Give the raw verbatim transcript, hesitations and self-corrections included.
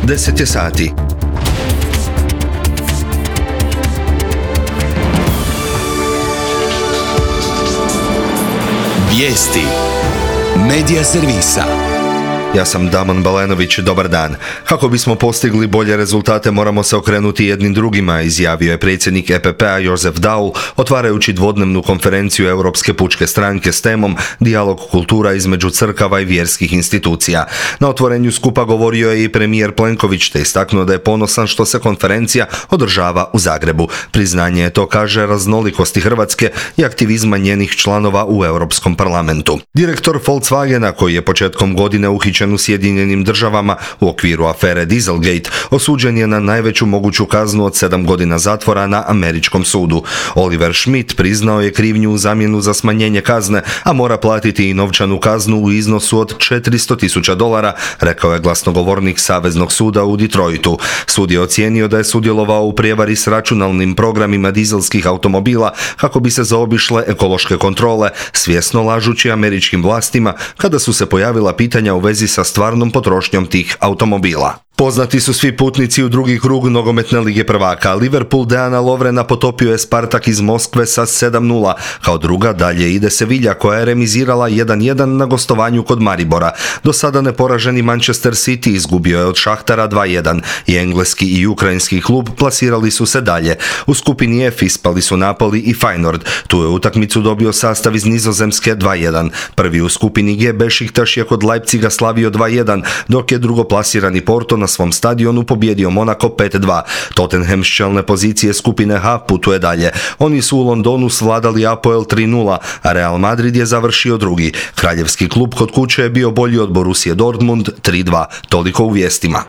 deset je sati. Vijesti Medija servisa. Ja sam Damon Balenović, dobar dan. Kako bismo postigli bolje rezultate moramo se okrenuti jednim drugima, izjavio je predsjednik E P P-a Josef Daul, otvarajući dvodnevnu konferenciju Europske pučke stranke s temom Dijalog kultura između crkava i vjerskih institucija. Na otvorenju skupa govorio je i premijer Plenković, te istaknuo da je ponosan što se konferencija održava u Zagrebu. Priznanje je to, kaže, raznolikosti Hrvatske i aktivizma njenih članova u Europskom parlamentu. Direktor Volkswagena, koji je početkom godine uhićen u Sjedinjenim državama u okviru afere Dieselgate, osuđen je na najveću moguću kaznu od sedam godina zatvora na američkom sudu. Oliver Schmidt priznao je krivnju u zamjenu za smanjenje kazne, a mora platiti i novčanu kaznu u iznosu od četiristo tisuća dolara, rekao je glasnogovornik Saveznog suda u Detroitu. Sud je ocijenio da je sudjelovao u prijevari s računalnim programima dizelskih automobila kako bi se zaobišle ekološke kontrole, svjesno lažući američkim vlastima kada su se pojavila pitanja u vezi sa stvarnom potrošnjom tih automobila. Poznati su svi putnici u drugi krug nogometne lige prvaka. Liverpool Deana Lovrena potopio je Spartak iz Moskve sa sedam nula. Kao druga dalje ide Sevilla, koja je remizirala jedan jedan na gostovanju kod Maribora. Do sada neporaženi Manchester City izgubio je od Šahtara dva jedan i engleski i ukrajinski klub plasirali su se dalje. U skupini F ispali su Napoli i Feyenoord. Tu je utakmicu dobio sastav iz Nizozemske dva jedan. Prvi u skupini G Beşiktaş je kod Leipziga slavio dva jedan, dok je drugoplasirani Porto na svom stadionu pobjedio Monako pet dva. Tottenham s čelne pozicije skupine H putuje dalje. Oni su u Londonu svladali Apoel tri nula, a Real Madrid je završio drugi. Kraljevski klub kod kuće je bio bolji od Borussia Dortmund tri dva. Toliko u vijestima.